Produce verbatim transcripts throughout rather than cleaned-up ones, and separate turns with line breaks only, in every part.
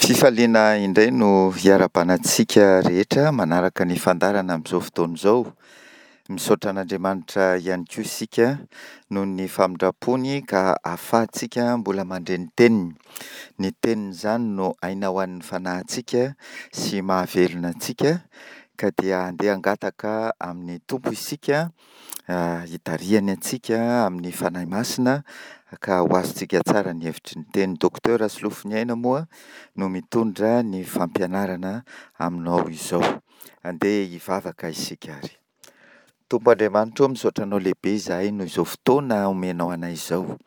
Fifaliana indray no hiarahabana antsika rehetra manaraka ny fandaharana amin'izao fotoana izao. Misaotra an'Andriamanitra ihany koa isika noho ny famindrampony ka ahafahantsika mbola mandre ny teniny. Ny teniny izany no aina ho an'ny fanahintsika sy mahavelona antsika ka dia andeha hangataka amin'ny Tompo isika hitarihany antsika amin'ny Fanahy Masina ka ho azontsika tsara ny hevitry ny teny. Docteur Solofoniaina moa no mitondra ny fampianarana aminao izao. Andeha hivavaka isika ary. Tompo Andriamanitra ô, misaotra anao lehibe izahay noho izao fotoana omenao anay izao,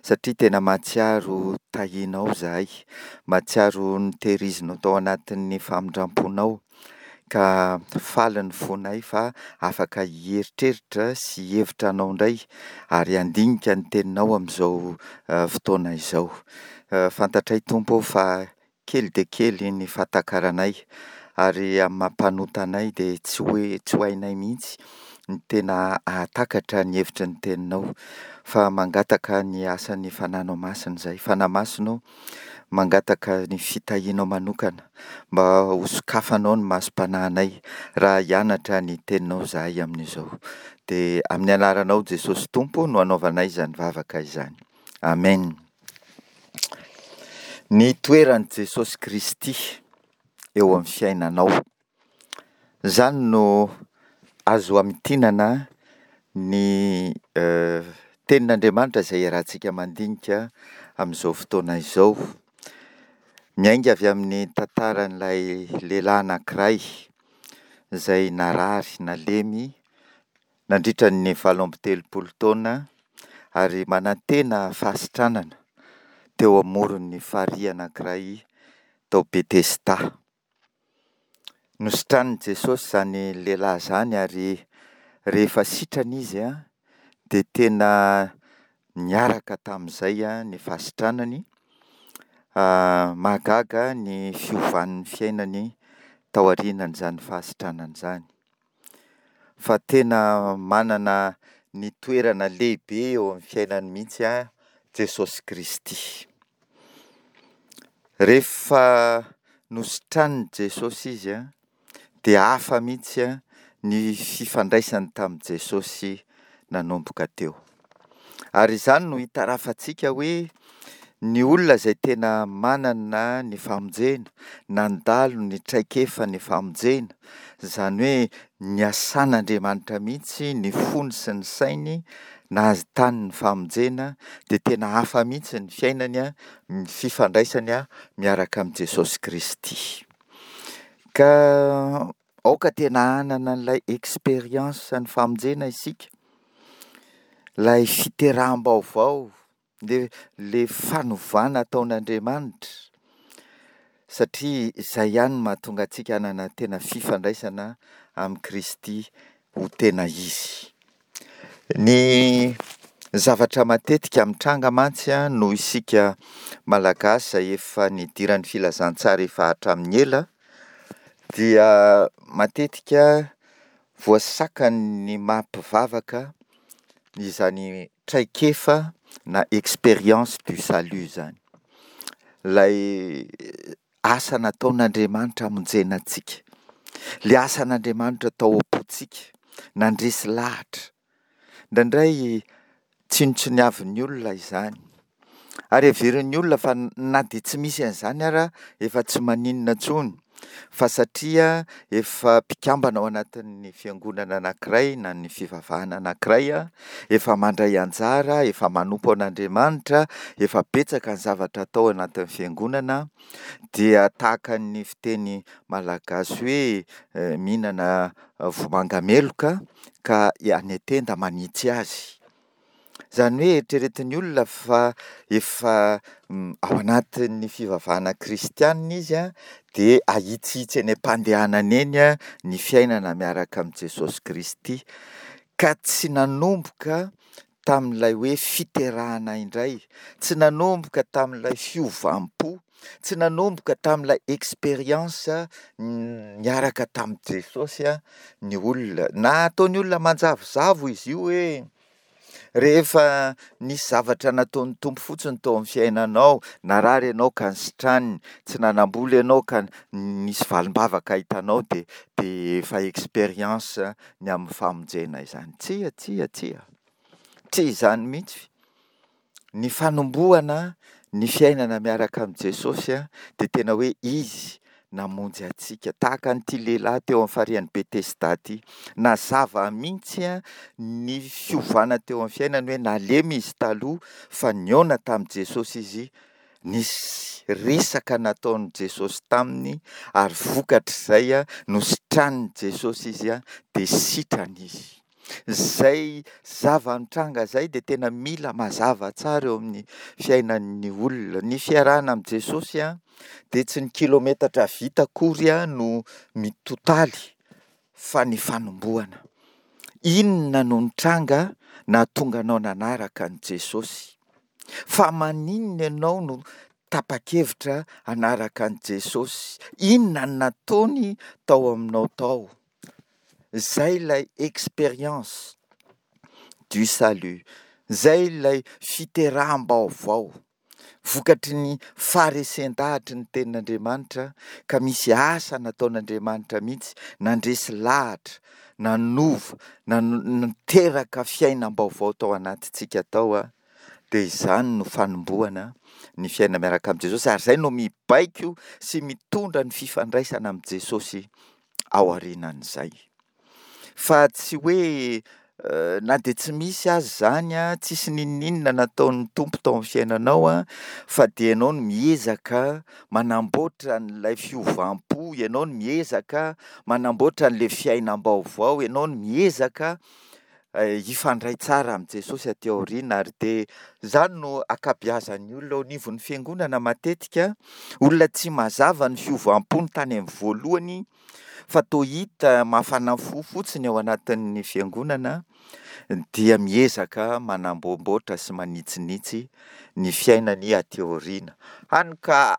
satria tena mahatsiaro tahianao izahay, mahatsiaro notehirizinao tao anatin'ny famindram-ponao, ka faly ny fonay fa afaka hieritreritra sy hihevitra anao indray ary handinika ny teninao amin'izao fotoana izao. Fantatray Tompo ô fa kely dia kely ny fahatakaranay ary amin'ny maha mpanota anay dia tsy hoe tsy ho hainay mihitsy ny tena hahatakatra ny hevitry ny teninao fa mangataka ny asan'ny Fanahinao Masina izahay. Fanahy Masina ô, mangataka ny fitahianao manokana mba hosokafanao ny masom-panahinay raha hianatra ny teninao izahay amin'izao. Dia amin'ny anaranao Jesosy Tompo no anaovanay izany vavaka izany. Amen. Ny toeran'i Jesosy Kristy eo amin'ny fiainanao. Izany no azo amintinana ny tenin'Andriamanitra izay iarahantsika mandinika amin'izao fotoana izao. Miainga avy amin'ny tantaran'ilay lehilahy anankiray izay narary, nalemy nandritra ny valo amby telopolo taona ary manantena fahasitranana teo amoron'ny farihy anankiray tao Betesda. Nositranin'i Jesosy izany lehilahy izany ary rehefa sitrana izy dia tena niaraka tamin'izay ny fahasitranany. Mahagaga ny fiovan'ny fiainany tao aorianan'izany fahasitranana izany. Fa tena manana ny toerana lehibe eo amin'ny fiainany mihitsy Jesosy Kristy. Rehefa nositranin'i Jesosy izy dia hafa mihitsy ny fifandraisany tamin'i Jesosy nanomboka teo. Ary izany no hitarafantsika hoe ny olona izay tena manana ny famonjena, nandalo ny traikefa ny famonjena, izany hoe niasan'Andriamanitra mihitsy ny fony sy ny sainy nahitany ny famonjena, dia tena hafa mihitsy ny fiainany, ny fifandraisany miaraka amin'i Jesosy Kristy. Ka aoka tena hanana an'ilay expérience ny famonjena isika, ilay fiteraham-baovao, le, le fanovana ataon'Andriamanitra, satria izay ihany no mahatonga antsika hanana tena fifandraisana amin'i Kristy ho tena izy. Ny zavatra matetika mitranga mantsy noho isika Malagasy izay efa nidiran'ny filazantsara efa hatramin'ny ela dia matetika voasakan'ny maha mpivavaka izany traikefa na expérience du salut izany. Ilay asa nataon'Andriamanitra hamonjena antsika, ilay asan'Andriamanitra tao am-pontsika, nandresy lahatra. Indraindray tsinontsiniavin'ny olona izany ary heverin'ny olona fa na dia tsy misy an'izany ara efa tsy maninona intsony fa satria efa mpikambana ao anatin'ny fiangonana anankiray na ny fivavahana anankiray, efa mandray anjara, efa manompo an'Andriamanitra, efa betsaka ny zavatra atao anatin'ny fiangonana dia tahaka ny fiteny malagasy hoe mihinana vomanga meloka ka any an-tenda manitsy azy. Izany hoe eritreretin'ny olona fa efa ao anatin'ny fivavahana kristianina izy dia ahitsihitsy eny am-pandehanana eny ny fiainana miaraka amin'i Jesosy Kristy ka tsy nanomboka tamin'ilay hoe fiterahana indray, tsy nanomboka tamin'ilay fiovam-po, tsy nanomboka tamin'ilay expérience niaraka tamin'i Jesosy ny olona. Na ataon'ny olona manjavozavo izy io hoe Rehefa nisy zavatra nataon'ny Tompo fotsiny tao amin'ny fiainanao, narary ianao ka nisitraniny, tsy nanam-bola ianao ka nisy valim-bavaka hitanao dia dia efa expérience ny amin'ny famonjena izany. Tsia, tsia, tsia. Tsy izany mihitsy. Ny fanombohana ny fiainana miaraka amin'i Jesosy dia tena hoe Izy namonjy antsika. Tahaka an'ity lehilahy teo amin'ny farihin'i Betesda ity. Nazava mihitsy ny fiovana teo amin'ny fiainany hoe nalemy izy taloha fa nihaona tamin'i Jesosy izy, nisy resaka nataon'i Jesosy taminy ary vokatr'izay nositranin'i Jesosy izy dia sitrana izy. Izay zava-nitranga izay dia tena mila mazava tsara eo amin'ny fiainan'ny olona. Ny fiarahana amin'i Jesosy dia tsy ny kilometatra vita akory no mitotaly fa ny fanombohana. Inona no nitranga nahatonga anao nanaraka an'i Jesosy? Fa maninona ianao no tapa-kevitra hanaraka an'i Jesosy? Inona no nataony tao aminao tao? Izay ilay expérience du salut. Izay ilay fiteraham-baovao. Vokatry ny faharesen-dahatry ny tenin'Andriamanitra ka misy asa nataon'Andriamanitra mihitsy nandresy lahatra, nanova, niteraka fiainam-baovao tao anatintsika tao. Dia izany no fanombohana ny fiainana miaraka amin'i Jesosy ary izay no mibaiko sy mitondra ny fifandraisana amin'i Jesosy ao aorianan'izay. Fa tsy hoe na dia tsy misy aza izany, tsisy n'inon'inona nataon'ny Tompo tao amin'ny fiainanao, fa dia ianao no miezaka manamboatra an'ilay fiovam-po, ianao no miezaka manamboatra an'ilay fiainam-baovao, ianao no miezaka hifandray tsara amin'i Jesosy aty aoriana. Ary dia izany no ankabeazan'ny olona eo anivon'ny fiangonana matetika, olona tsy mazava ny fiovam-pony tany amin'ny voalohany, fa toa hita mafana fo fotsiny ao anatin'ny fiangonana, dia miezaka manamboamboatra sy manitsinitsy ny fiainany aty aoriana. Hany ka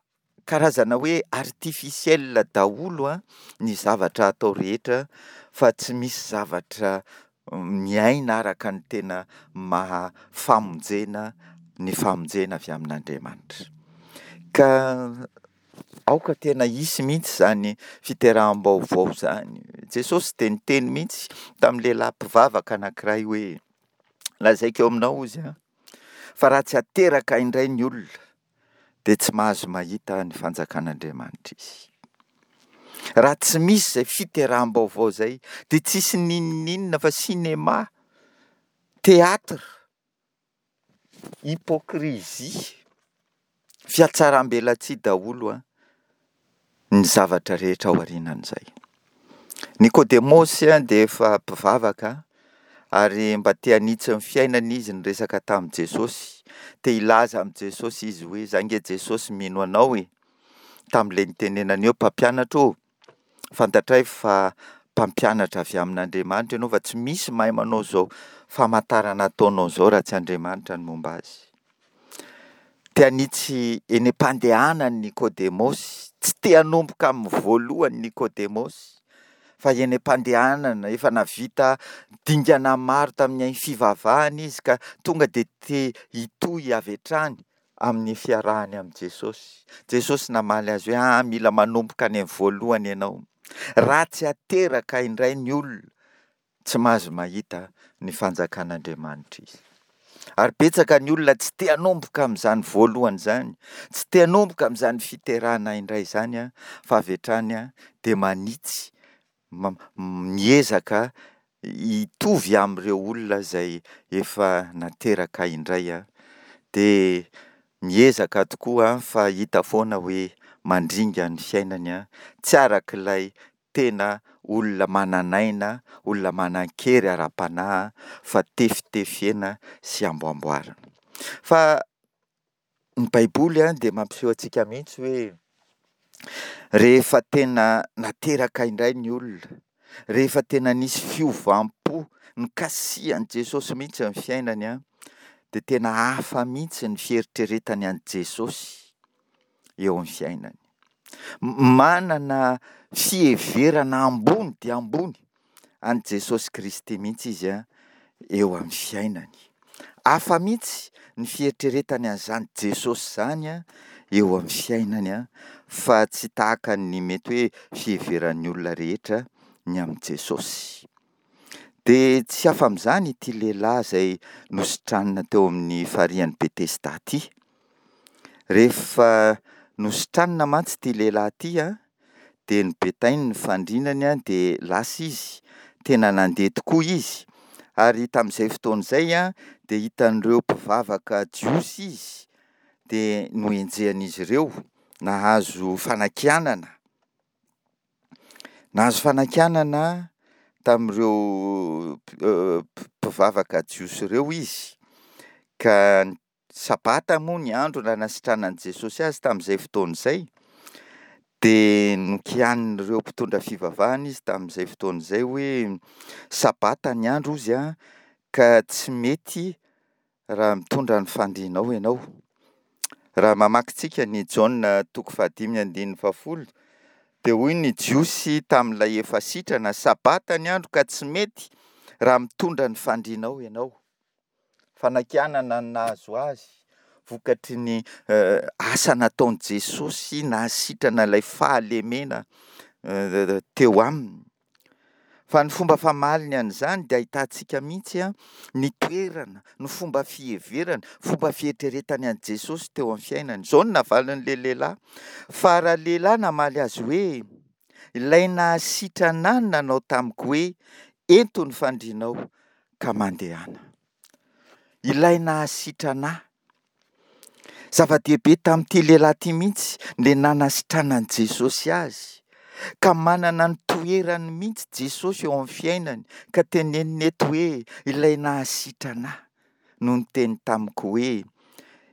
karazana hoe artificiel daholo ny zavatra atao rehetra fa tsy misy zavatra miaina araka ny tena maha famonjena ny famonjena avy amin'Andriamanitra. Ka aoka tena hisy mihitsy izany fiteraham-baovao izany. Jesosy dia niteny mihitsy tamin'ny lehilahy mpivavaka anankiray hoe, lazaiko aminao hozy an, fa raha tsy ateraka indray ny olona dia tsy mahazo mahita ny fanjakan'Andriamanitra izy. Raha tsy misy izay fiteraham-baovao izay dia tsisy n'inon'inona fa cinéma, théâtre, hypocrisie, fihatsaram-belatsihy daholo an, ny zavatra rehetra ao aorianan'izay. Nikodemosy dia efa mpivavaka ary mba te hanitsy ny fiainany izy niresaka tamin'i Jesosy. Te hilaza amin'i Jesosy izy hoe, za nge Jesosy mino anao e. Tamin'ilay nitenenany eo, mpampianatra ô, fantatray fa mpampianatra avy amin'Andriamanitra ianao fa tsy misy mahay manao izao famantarana ataonao izao raha tsy Andriamanitra no momba azy. Te hanitsy eny am-pandehanany Nikodemosy, tsy te hanomboka amin'ny voalohany Nikodemosy, fa eny am-pandehanana, efa nahavita dingana maro tamin'ny fivavahana izy ka tonga dia te hitohy avy hatrany amin'ny fiarahany amin'i Jesosy. Jesosy namaly azy hoe, ah, mila manomboka any amin'ny voalohany ianao. Raha tsy ateraka indray ny olona, tsy mahazo mahita ny fanjakan'Andriamanitra izy. Ary betsaka ny olona tsy te hanomboka amin'izany voalohany izany, tsy te hanomboka amin'izany fiterahana indray izany, fa avy hatrany dia manitsy, miezaka hitovy amin'ireo olona izay efa nateraka indray. Dia miezaka tokoa fa hita foana hoe mandringa ny fiainany, tsy arak'ilay tena olona manan'aina, olona manan-kery ara-panahy fa tefitefena sy amboamboarina. Fa ny Baiboly dia mampiseho antsika mihitsy hoe rehefa tena nateraka indray ny olona, rehefa tena nisy fiovam-po nikasihan'i Jesosy mihitsy ny fiainany, dia tena hafa mihitsy ny fieritreretany an'i Jesosy eo amin'ny fiainany. Manana fiheverana ambony dia ambony an'i Jesosy Kristy mihitsy izy eo amin'ny fiainany. Hafa mihitsy ny fieritreretany an'izany Jesosy izany eo amin'ny fiainany fa tsy tahaka ny mety hoe fiheveran'ny olona rehetra ny amin'i Jesosy. Dia tsy hafa amin'izany ity lehilahy izay nositranina teo amin'ny farihin'i Betesda ity. Rehefa nositranina mantsy ity lehilahy ity an, dia nobetainy ny fandrinany an, dia lasa izy, tena nandeha tokoa izy, ary tamin'izay fotoana izay an, dia hitan'ireo mpivavaka jiosy izy, dia nohenjehan'izy ireo, nahazo fanakianana, nahazo fanakianana tamin'ireo mpivavaka jiosy ireo izy, ka sabata moa ny andro nanasitranan'i Jesosy azy tamin'izay fotoana izay, dia nokianin'ireo mpitondra fivavahana izy tamin'izay fotoana izay hoe sabata ny andro hozy an, ka tsy mety raha mitondra ny fandrianao ianao. Raha mamaky tsika ny Jaona toko fahadimy andininy fahafolo, dia hoy ny Jiosy tamin'ilay efa sitrana, sabata ny andro ka tsy mety raha mitondra ny fandrianao ianao. Fanakianana no nahazo azy vokatry ny asa nataon'i Jesosy nahasitrana ilay fahalemena teo aminy. Fa ny fomba famaliny an'izany dia ahitantsika mihitsy ny toerana, ny fomba fiheverana, fomba fieritreretany an'i Jesosy teo amin'ny fiainany. Izao no navalin'ilay lehilahy, fa ralehilahy namaly azy hoe, ilay nahasitrana ahy no nanao tamiko hoe, ento ny fandrianao ka mandehana. Ilay nahasitrana ahy. Zava-dehibe tamin'ity lehilahy ity mihitsy ilay nanasitranan'i Jesosy azy, ka manana ny toerany mihitsy Jesosy eo amin'ny fiainany, ka teneniny eto hoe ilay nahasitrana ahy no niteny tamiko hoe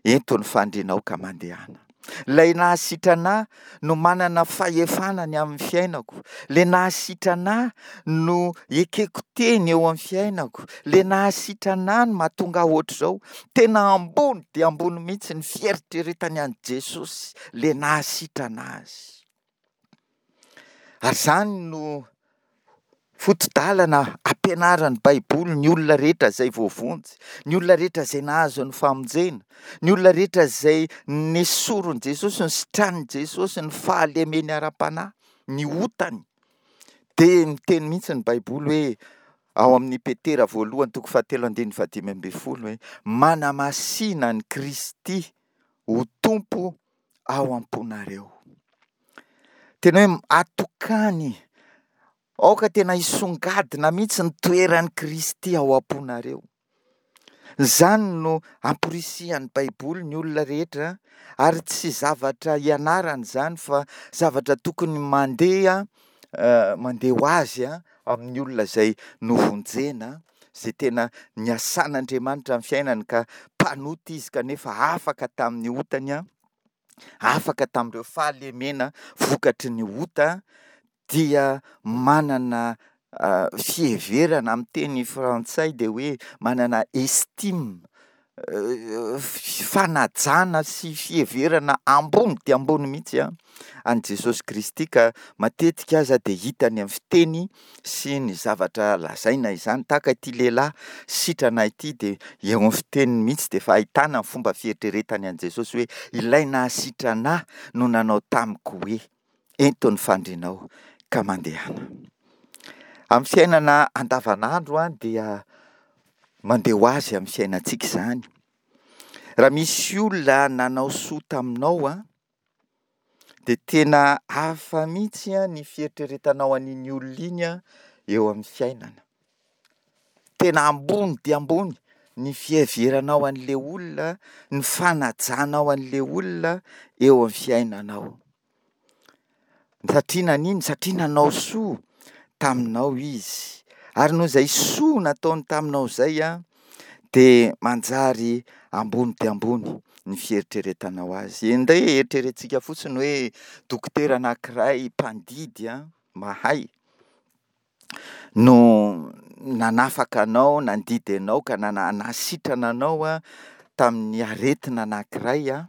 ento ny fandrianao ka mandehana. Ilay nahasitrana ahy no manana fahefana ny amin'ny fiainako. Ilay nahasitrana ahy no ekeko teny eo amin'ny fiainako. Ilay nahasitrana ahy no mahatonga ahy ohatr'izao. Tena ambony dia ambony mihitsy ny fieritreretany an'i Jesosy, ilay nahasitrana azy. Ary izany no foto-dalana ampianaran'ny Baiboly ny olona rehetra izay voavonjy, ny olona rehetra izay nahazo ny famonjena, ny olona rehetra izay nesorin'i Jesosy, nositranin'i Jesosy ny fahalemeny ara-panahy, ny otany. Dia miteny mihitsy ny Baiboly hoe ao amin'ny Petera voalohany toko fahatelo andininy fahadimy ambin'ny folo hoe manamasina an'i Kristy ho Tompo ao am-ponareo. Tena hoe atokany, aoka tena hisongadina mihitsy ny toeran'i Kristy ao am-ponareo. Izany no amporisihan'ny Baiboly ny olona rehetra, ary tsy zavatra ianarana izany fa zavatra tokony mandeha, mandeha ho azy amin'ny olona izay novonjena, izay tena niasan'Andriamanitra ny fiainany ka mpanota izy kanefa afaka tamin'ny otany, afaka tamin'ireo fahalemena vokatry ny ota, dia manana fiheverana, amin'ny teny frantsay dia hoe manana estime, fanajana sy fiheverana ambony dia ambony mihitsy an'i Jesosy Kristy, ka matetika aza dia hitany amin'ny fiteny sy ny zavatra lazaina izany. Tahaka ity lehilahy sitrana ity dia eo amin'ny fiteniny mihitsy dia efa ahitana ny fomba fieritreretany an'i Jesosy hoe ilay nahasitrana ahy no nanao tamiko hoe ento ny fandrianao ka mandehana. Amin'ny fiainana andavanandro dia mandeha ho azy amin'ny fiainantsika izany. Raha misy olona nanao soa taminao an, dia tena hafa mihitsy ny fieritreretanao an'iny olona iny eo amin'ny fiainana. Tena ambony dia ambony ny fiheveranao an'ilay olona, ny fanajanao an'ilay olona eo amin'ny fiainanao. Satria nanino? Satria nanao soa taminao izy. Ary noho izay soa nataony taminao izay an, dia manjary ambony dia ambony ny fieritreretanao azy. Andeha eritreretintsika fotsiny hoe dokotera anankiray mpandidy an, mahay no nanafaka anao, nandidy anao ka nana-, nahasitrana anao an, tamin'ny aretina anankiray an,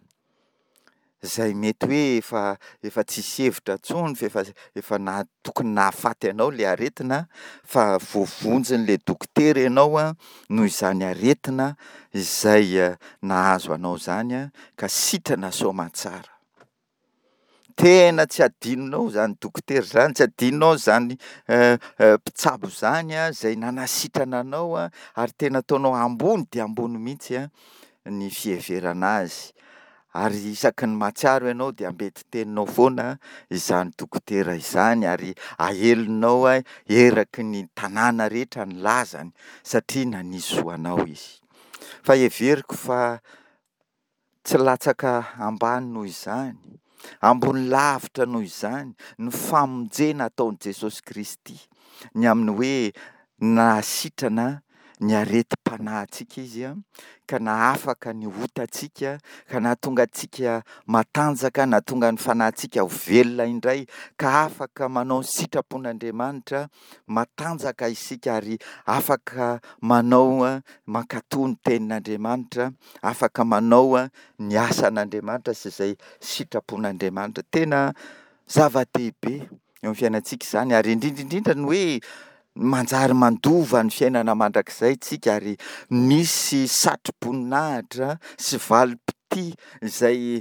izay mety hoe efa efa tsisy hevitra intsony f'efa efa naha- tokony nahafaty anao ilay aretina fa voavonjin'ilay dokotera ianao an, noho izany aretina izay nahazo anao izany an, ka sitrana soamantsara. Tena tsy adinonao izany dokotera izany, tsy adinonao izany mpitsabo izany an, izay nanasitrana anao an, ary tena ataonao ambony dia ambony mihitsy an ny fiheverana azy. Ary isaky ny mahatsiaro ianao dia ambentin-teninao foana izany dokotera izany ary aelinao eraky ny tanàna rehetra ny lazany satria nanisy soa anao izy. Fa heveriko fa tsy latsaka ambany noho izany, ambony lavitra noho izany ny famonjena ataon'i Jesosy Kristy, ny amin'ny hoe nahasitrana ny aretim-panahintsika Izy an, ka nahafaka ny otantsika, ka nahatonga antsika matanjaka, nahatonga ny fanahintsika ho velona indray, ka afaka manao ny sitrapon'Andriamanitra, matanjaka isika ary afaka manao mankatò ny tenin'Andriamanitra, afaka manao ny asan'Andriamanitra sy izay sitrapon'Andriamanitra. Tena zava-dehibe eo amin'ny fiainantsika izany ary indrindra indrindra ny hoe manjary mandova ny fiainana mandrakizay isika ary misy satroboninahitra sy valim-pitia izay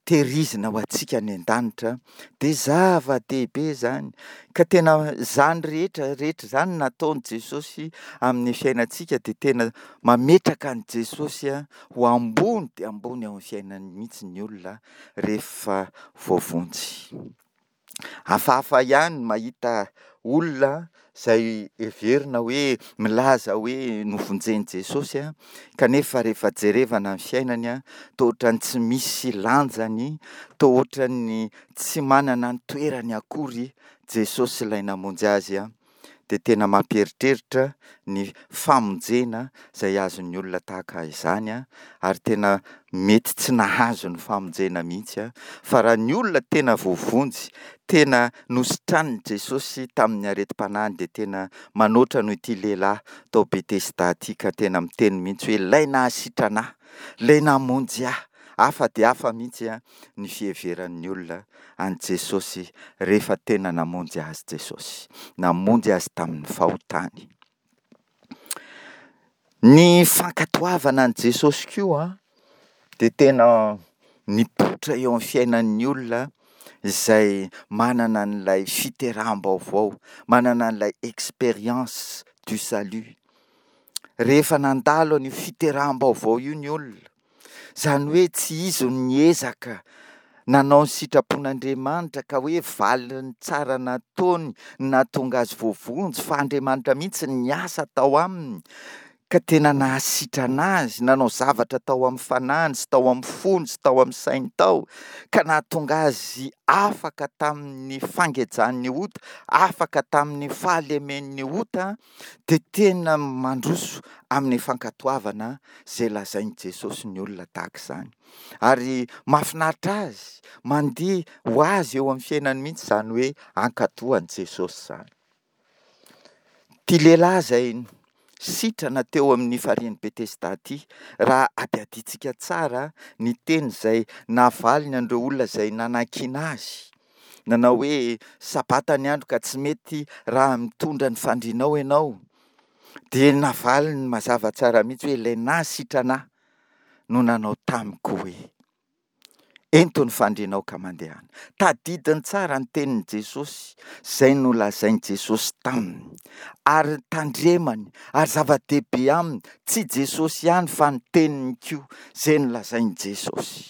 tehirizina ho antsika any an-danitra dia zava-dehibe izany. Ka tena izany rehetra rehetra izany nataon'i Jesosy amin'ny fiainantsika dia tena mametraka an'i Jesosy ho ambony dia ambony ao amin'ny fiainany mihitsy ny olona rehefa voavonjy. Hafahafa ihany ny mahita olona izay heverina hoe milaza hoe novonjen'i Jesosy an, kanefa rehefa jerevana ny fiainany an, toa ohatran'ny tsy misy lanjany, toa ohatran'ny tsy manana ny toerany akory Jesosy ilay namonjy azy an. Dia tena mampieritreritra ny famonjena izay azon'ny olona tahaka izany an, ary tena mety tsy nahazo ny famonjena mihitsy an, fa raha ny olona tena voavonjy, tena nositranin'i Jesosy tamin'ny aretim-panahiny dia tena manoatra noho ity lehilahy tao Betesda ity ka tena miteny mihitsy hoe ilay nahasitrana ahy, ilay namonjy ahy. Hafa dia hafa mihitsy an ny fiheveran'ny olona an'i Jesosy rehefa tena namonjy azy Jesosy. Namonjy azy tamin'ny fahotany. Ny fankatoavana an'i Jesosy koa dia tena mipoitra eo amin'ny fiainan'ny olona izay manana an'ilay fiteraham-baovao, manana an'ilay expérience du salut. Rehefa nandalo an'io fiteraham-baovao io ny olona, izany hoe tsy izy no niezaka nanao ny sitrapon'Andriamanitra ka hoe valiny tsara nataony no nahatonga azy voavonjy fa Andriamanitra mihitsy niasa tao aminy ka tena nahasitrana azy, nanao zavatra tao amin'ny fanahiny sy tao amin'ny fony sy tao amin'ny sainy tao ka nahatonga azy afaka tamin'ny fangejan'ny ota, afaka tamin'ny fahalemen'ny ota, dia tena mandroso amin'ny fankatoavana izay lazain'i Jesosy ny olona tahaka izany. Ary mahafinaritra azy, mandeha ho azy eo amin'ny fiainany mihitsy izany hoe hankatò an'i Jesosy izany. Ity lehilahy izay sitrana teo amin'ny farihin'i Betesda ity, raha hadihadiantsika tsara ny teny izay navaliny an'ireo olona izay nanakiana azy, nanao hoe sabata ny andro ka tsy mety raha mitondra ny fandrianao ianao, dia navaliny mazava tsara mihitsy hoe ilay nahasitrana ahy no nanao tamiko hoe ento ny fandrianao ka mandehana. Tadidiny tsara ny tenin'i Jesosy izay nolazain'i Jesosy taminy ary tandremany ary zava-dehibe aminy, tsy Jesosy ihany fa ny teniny koa izay nolazain'i Jesosy.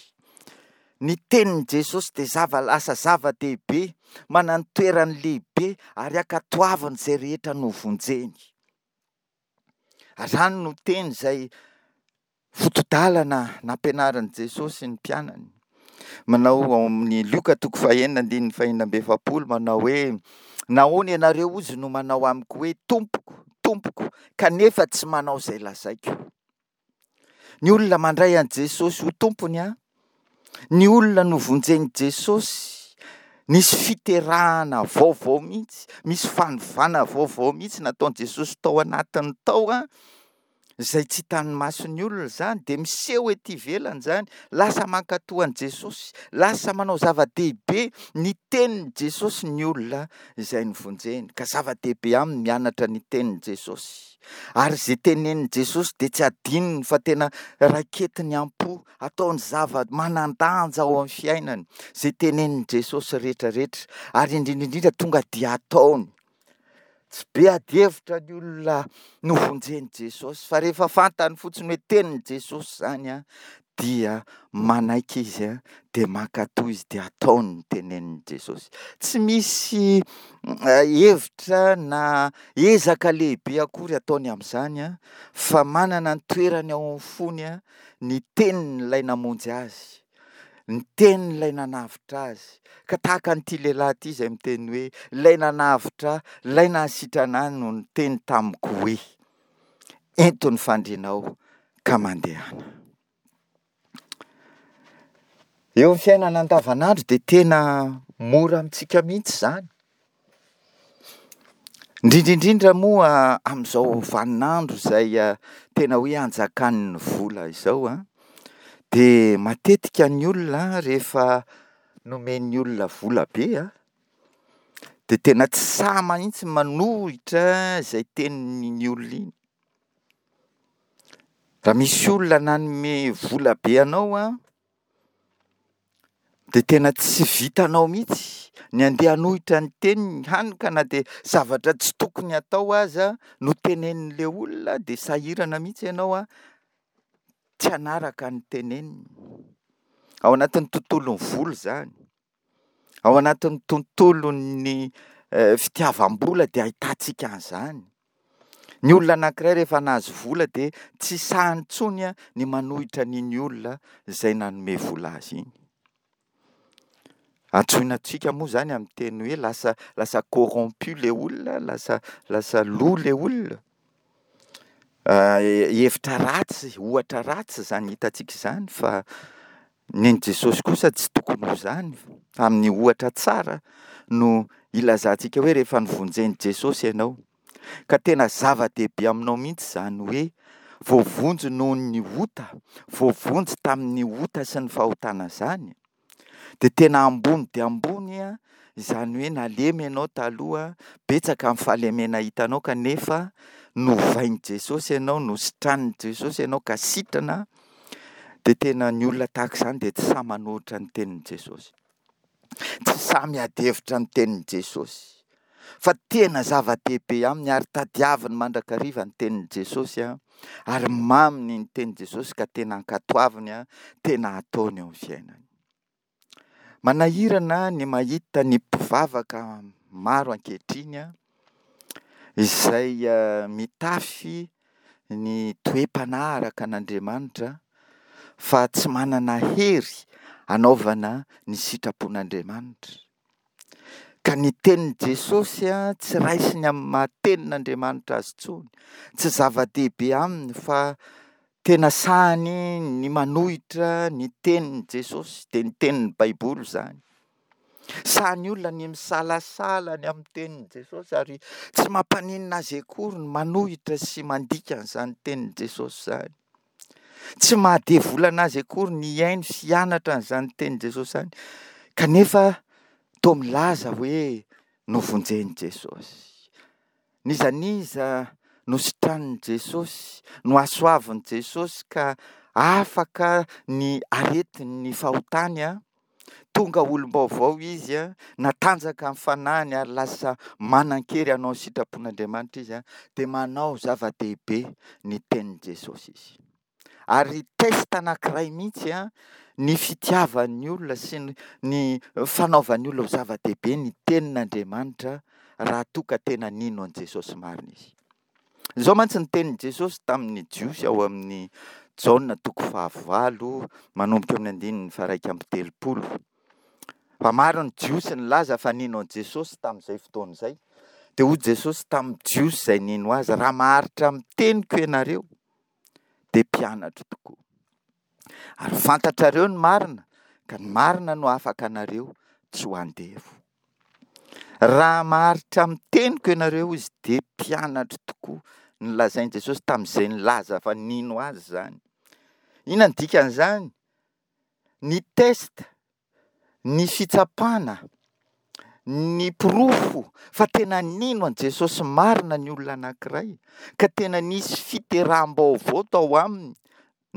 Ny tenin'i Jesosy dia zava- lasa zava-dehibe, manana ny toerany lehibe ary ankatoaviny izay rehetra novonjeny. Ary izany no teny izay foto-dalana nampianarin'i Jesosy ny mpianany. Manao ao amin'ny Lioka toko fahenina andininy fahenina amby efapolo manao hoe nahoana ianareo ozy no manao amiko hoe tompoko, tompoko, kanefa tsy manao izay lazaiko. Ny olona mandray an'i Jesosy ho tompony an, ny olona novonjen'i Jesosy, nisy fiterahana vaovao mihitsy, misy fanovana vaovao mihitsy nataon'i Jesosy tao anatiny tao an, izay tsy hitan'ny mason'ny olona izany, dia miseho ety ivelany izany, lasa mankatò an'i Jesosy, lasa manao zava-dehibe ny tenin'i Jesosy ny olona izay novonjeny, ka zava-dehibe aminy mianatra ny tenin'i Jesosy. Ary izay tenenin'i Jesosy dia tsy adinony fa tena raiketiny am-po, ataony zava-manan-danja ao amin'ny fiainany izay tenenin'i Jesosy rehetrarehetra, ary indrindra indrindra tonga dia ataony. Tsy be adihevitra ny olona novonjen'i Jesosy, fa rehefa fantany fotsiny hoe tenin'i Jesosy izany an, dia manaiky izy an, dia mankatò izy, dia ataony ny tenenin'i Jesosy. Tsy misy hevitra na ezaka lehibe akory ataony amin'izany an, fa manana ny toerany ao amin'ny fony an, ny tenin'ilay namonjy azy. Ny tenin'ilay nanavotra azy. Ka tahaka an'ity lehilahy ity izay miteny hoe, ilay nanavotra ahy, ilay nahasitrana ahy no niteny tamiko hoe, ento ny fandrianao ka mandehana. Eo amin'ny fiainana andavanandro dia tena mora amintsika mihitsy izany. Indrindra indrindra moa amin'izao vaninandro izay tena hoe anjakan'ny vola izao an, dia matetika ny olona rehefa nomen'ny olona vola be an, dia tena tsy sahy mihitsy manohitra izay tenin'iny olona iny. Raha misy olona nanome vola be anao an, dia tena tsy vitanao mihitsy ny handeha hanohitra ny teniny, hany ka na dia zavatra tsy tokony hatao aza no tenenin'ilay olona dia sahirana mihitsy ianao an, tsy hanaraka ny teneniny. Ao anatin'ny tontolon'ny vola izany, ao anatin'ny tontolon'ny fitiavam-bola dia ahitantsika an'izany. Ny olona anankiray rehefa nahazo vola dia tsy sahiny intsony ny manohitra an'iny olona izay nanome vola azy iny. Antsoina antsika moa izany amin'ny teny hoe lasa, lasa corrompu ilay olona, lasa, lasa lo ilay olona. Hevitra ratsy, ohatra ratsy izany hitantsika izany, fa ny an'i Jesosy kosa tsy tokony ho izany, fa amin'ny ohatra tsara no ilazantsika hoe rehefa novonjen'i Jesosy ianao, ka tena zava-dehibe aminao mihitsy izany hoe voavonjy noho ny ota, voavonjy tamin'ny ota sy ny fahotana izany, dia tena ambony dia ambony izany hoe nalemy ianao taloha, betsaka ny fahalemena hitanao kanefa novain'i Jesosy ianao, nositranin'i Jesosy ianao ka sitrana, dia tena ny olona tahaka izany dia tsy sahy manohitra ny tenin'i Jesosy. Tsy sahy miady hevitra ny tenin'i Jesosy. Fa tena zava-dehibe aminy ary tadiaviny mandrakariva ny tenin'i Jesosy, ary maminy ny tenin'i Jesosy ka tena ankatoaviny, tena ataony eo amin'ny fiainany. Manahirana ny mahita ny mpivavaka maro ankehitriny izay mitafy ny toe-panahy araka an'Andriamanitra fa tsy manana hery hanaovana ny sitrapon'Andriamanitra. Ka ny tenin'i Jesosy tsy raisiny amin'ny maha tenin'Andriamanitra azy intsony, tsy zava-dehibe aminy fa tena sahany ny manohitra ny tenin'i Jesosy, dia ny tenin'ny Baiboly izany. Sahy olona ny misalasala ny amin'ny tenin'i Jesosy ary tsy mampaninona azy akory ny manohitra sy mandika an'izany tenin'i Jesosy izany. Tsy mahadevolana azy akory ny hihaino sy hianatra an'izany tenin'i Jesosy izany, kanefa toa milaza hoe novonjen'i Jesosy. N'iza n'iza nositranin'i Jesosy, nohasoavin'i Jesosy ka afaka ny aretin'ny fahotany, tonga olom-baovao izy, natanjaka ny fanahiny ary lasa manan-kery hanao ny sitrapon'Andriamanitra izy, dia manao zava-dehibe ny tenin'i Jesosy izy. Ary test anankiray mihitsy ny fitiavan'ny olona sy ny, ny fanaovan'ny olona ho zava-dehibe ny tenin'Andriamanitra raha toa ka tena nino an'i Jesosy marina izy. Izao mantsy ny tenin'i Jesosy tamin'ny Jiosy ao amin'ny Jaona toko fahavalo manomboka eo amin'ny andininy faha-iraika amby telopolo. Fa maro ny Jiosy nilaza fa nino an'i Jesosy tamin'izay fotoana izay. Dia hoy Jesosy tamin'ny Jiosy izay nino azy, raha maharitra amin'ny teniko ianareo, dia mpianatro tokoa. Ary fantatrareo ny marina, ka ny marina no afaka anareo tsy ho andevo. Raha maharitra amin'ny teniko ianareo izy, dia mpianatro tokoa nolazain'i Jesosy tamin'izay nilaza fa nino azy izany. Inona no dikan'izany? Ny test, ny fitsapana, ny porofo fa tena nino an'i Jesosy marina ny olona anankiray, ka tena nisy fiteraham-baovao tao aminy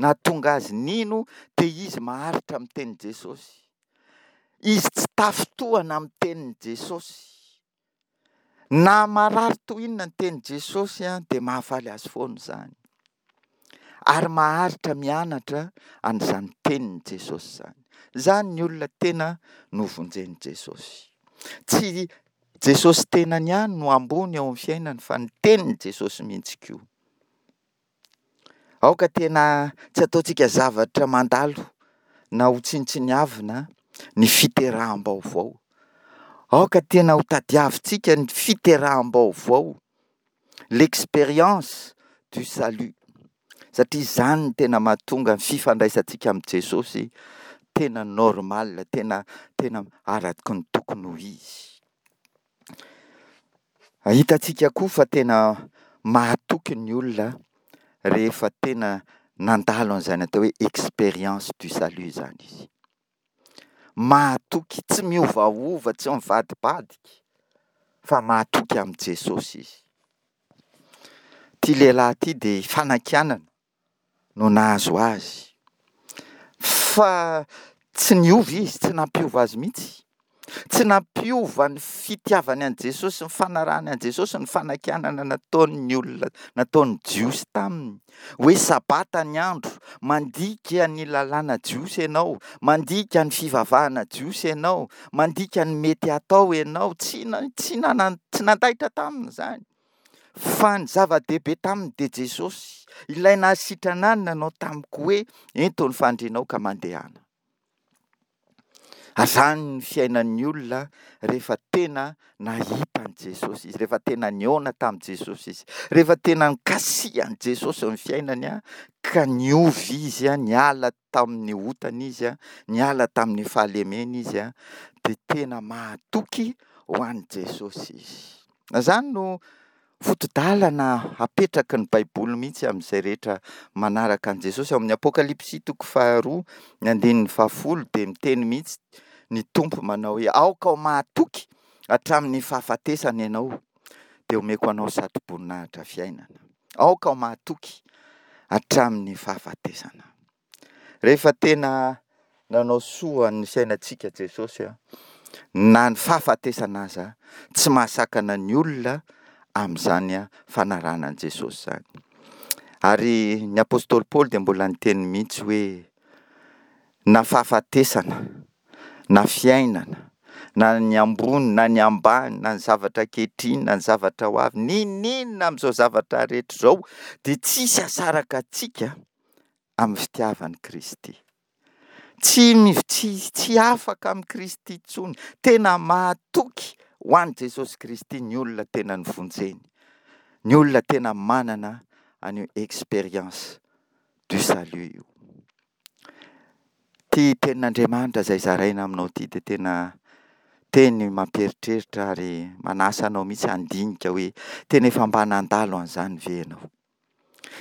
nahatonga azy nino, dia izy maharitra amin'ny tenin'i Jesosy. Izy tsy tafintohana amin'ny tenin'i Jesosy. Na marary toy inona ny tenin'i Jesosy dia mahafaly azy foana izany. Ary maharitra mianatra an'izany tenin'i Jesosy izany. Izany ny olona tena novonjen'i Jesosy. Tsy Jesosy tenany ihany no ambony eo amin'ny fiainany fa ny tenin'i Jesosy mihitsy koa. Aoka tena tsy ataontsika zavatra mandalo na ho tsinontsiniavina ny fiteraham-baovao. Aoka tena ho tadiavintsika ny fiteraham-baovao, l'expérience du salut. Satria izany no tena mahatonga ny fifandraisantsika amin'i Jesosy tena normal, tena tena araka ny tokony ho izy. Hitantsika koa fa tena mahatoky ny olona rehefa tena nandalo an'izany atao hoe expérience du salut izany izy. Mahatoky, tsy miovaova, tsy mivadibadika, fa mahatoky amin'i Jesosy izy. Ity lehilahy ity dia fanakianana no nahazo azy. Fa tsy niova izy, tsy nampiova azy mihitsy. Tsy nampiova ny fitiavany an'i Jesosy, ny fanarahany an'i Jesosy, ny fanakianana nataon'ny olona, nataon'ny Jiosy taminy. Hoe sabata ny andro, mandika ny lalàna jiosy ianao, mandika ny fivavahana jiosy ianao, mandika ny mety hatao ianao. Tsy na-, tsy nana-, tsy nandaitra taminy izany. Fa ny zava-dehibe taminy dia Jesosy, ilay nahasitrana ahy nanao tamiko hoe ento ny fandrianao ka mandehana. Azany ny fiainan'ny olona rehefa tena nahita an'i Jesosy izy, rehefa tena nihaona tamin'i Jesosy izy, rehefa tena nikasihan'i Jesosy ny fiainany, ka niova izy, niala tamin'ny otany izy, niala tamin'ny fahalemena izy, dia tena mahatoky ho an'i Jesosy izy. Izany no foto-dalana apetraky ny Baiboly mihitsy amin'izay rehetra manaraka an'i Jesosy. Ao amin'ny Apokalypsy toko faharoa, ny andininy fahafolo, dia miteny mihitsy ny Tompo manao hoe aoka ho mahatoky hatramin'ny fahafatesana ianao, dia omeko anao satroboninahitra fiainana. Aoka ho mahatoky hatramin'ny fahafatesana. Rehefa tena nanao soa ny fiainantsika Jesosy, na ny fahafatesana aza, tsy mahasakana ny olona amin'izany fanarahana an'i Jesosy izany. Ary ny apostoly Paoly dia mbola niteny mihitsy hoe na fahafatesana, na fiainana, na ny ambony, na ny ambany, na ny zavatra ankehitriny, na ny zavatra ho avy, n'inon'inona amin'izao zavatra rehetra izao, dia tsisy hasaraka antsika amin'ny fitiavan'i Kristy. Tsy mi-, tsy, tsy afaka amin'i Kristy intsony. Tena mahatoky ho an'i Jesosy Kristy ny olona tena nivonjeny. Ny olona tena manana an'io expérience du salut io. Ity tenin'Andriamanitra izay zaraina aminao ity dia tena teny mampieritreritra ary manasa anao mihitsy handinika hoe tena efa mba nandalo an'izany ve ianao?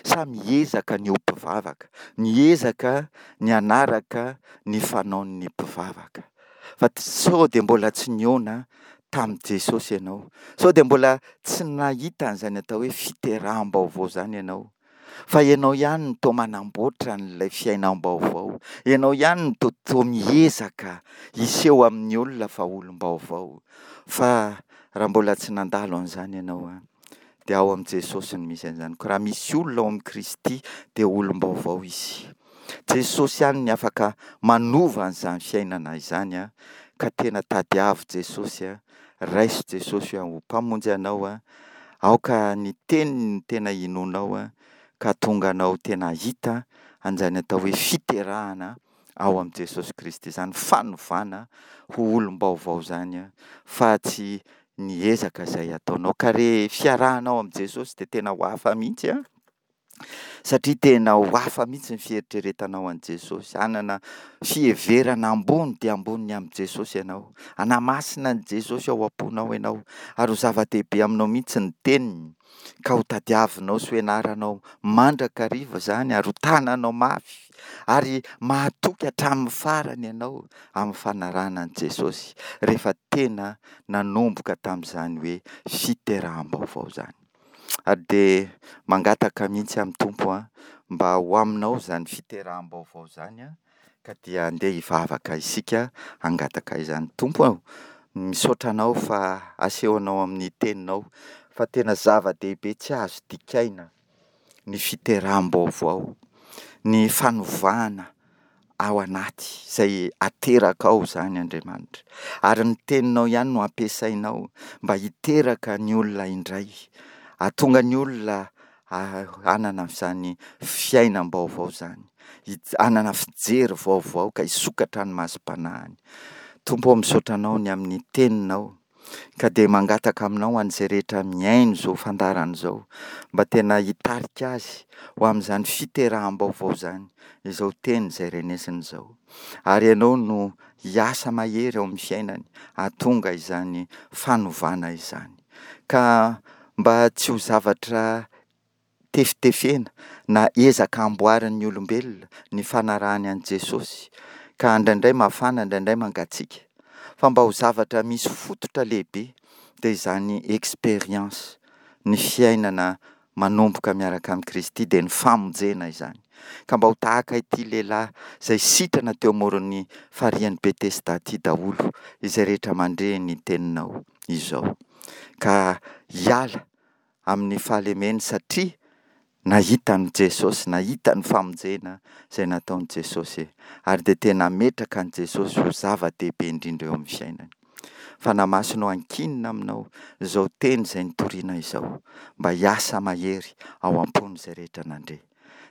Sa miezaka ny ho mpivavaka, miezaka ny hanaraka ny fanaon'ny mpivavaka. Fa sao dia mbola tsy nihaona tamin'i Jesosy ianao, sao dia mbola tsy nahita an'izany atao hoe fiteraham-baovao izany ianao. Fa ianao ihany no toa manamboatra an'ilay fiainam-baovao, ianao ihany no toa, toa miezaka hiseho amin'ny olona fa olom-baovao. Fa raha mbola tsy nandalo an'izany ianao, dia ao amin'i Jesosy no misy an'izany. Koa raha misy olona ao amin'i Kristy dia olom-baovao izy. Jesosy ihany no afaka manova an'izany fiainana izany, a, ka tena tadiavo Jesosy, a, raiso Jesosy ho mpamonjy anao, a, aoka ny teniny no tena inoanao, a, ka tonga anao tena hahita an'izany atao hoe fiterahana ao amin'i Jesosy Kristy izany, fanovana ho olom-baovao izany, a, fa tsy ny ezaka izay ataonao. Ka re fiarahanao amin'i Jesosy dia tena ho hafa mihitsy, a, Satria tena ho hafa mihitsy ny fieritreretanao an'i Jesosy, hanana fiheverana ambony dia ambony ny amin'i Jesosy ianao, hanamasina an'i Jesosy ao am-ponao ianao, ary ho zava-dehibe aminao mihitsy ny teniny, ka ho tadiavinao sy ho ianaranao mandrakariva izany ary ho tananao mafy, ary mahatoky hatramin'ny farany ianao amin'ny fanarahana an'i Jesosy, rehefa tena nanomboka tamin'izany hoe fiteraham-baovao izany. Ary dia mangataka mihitsy amin'ny Tompo aho mba ho aminao izany fiteraham-baovao izany an, ka dia andeha hivavaka isika hangataka izany. Tompo ô, misaotra Anao fa asehonao amin'ny teninao fa tena zava-dehibe tsy azo dikaina ny fiteraham-baovao, ny fanovana ao anaty izay aterakao izany Andriamanitra. Ary ny teninao ihany no ampiasainao mba hiteraka ny olona indray, hahatonga ny olona hanana izany fiainam-baovao izany, hanana fijery vaovao ka hisokatra ny masom-panahiny. Tompo ô, misaotra Anao ny amin'ny teninao, ka dia mangataka aminao ho an'izay rehetra mihaino izao fandaharana izao, mba tena hitarika azy ho amin'izany fiteraham-baovao izany, izao teny izay renesiny izao. Ary Ianao no hiasa mahery ao amin'ny fiainany, hahatonga izany fanovana izany. Ka mba tsy ho zavatra tefitefena na ezaka amboarin'ny olombelona ny fanarahany an'i Jesosy, ka indraindray mafana, indraindray mangatsiaka, fa mba ho zavatra misy fototra lehibe, dia izany expérience, ny fiainana manomboka miaraka amin'i Kristy, dia ny famonjena izany. Ka mba ho tahaka ity lehilahy izay sitrana teo amoron'ny farihin'i Betesda ity daholo izay rehetra mandre ny teninao izao. Ka hiala amin'ny fahalemeny satria nahita an'i Jesosy, nahita ny famonjena izay nataon'i Jesosy, ary dia tena hametraka an'i Jesosy ho zava-dehibe indrindra eo amin'ny fiainany. Fanahy Masina ô, ankinina aminao izao teny izay nitoriana izao, mba hiasa mahery ao am-pon'izay rehetra nandre.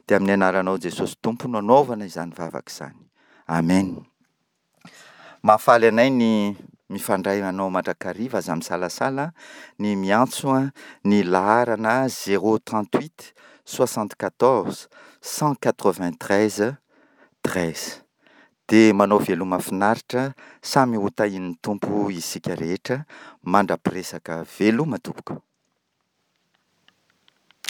Dia amin'ny anaranao Jesosy Tompo no anaovana izany vavaka izany. Amen. Mahafaly anay ny mifandray anao mandrakariva, aza misalasala ny miantso ny laharana zéro trente huit soixante quatorze cent quatre vingt treize treize. Dia manao veloma finaritra, samy ho tahian'ny Tompo isika rehetra, mandra-piresaka. Veloma tompoko.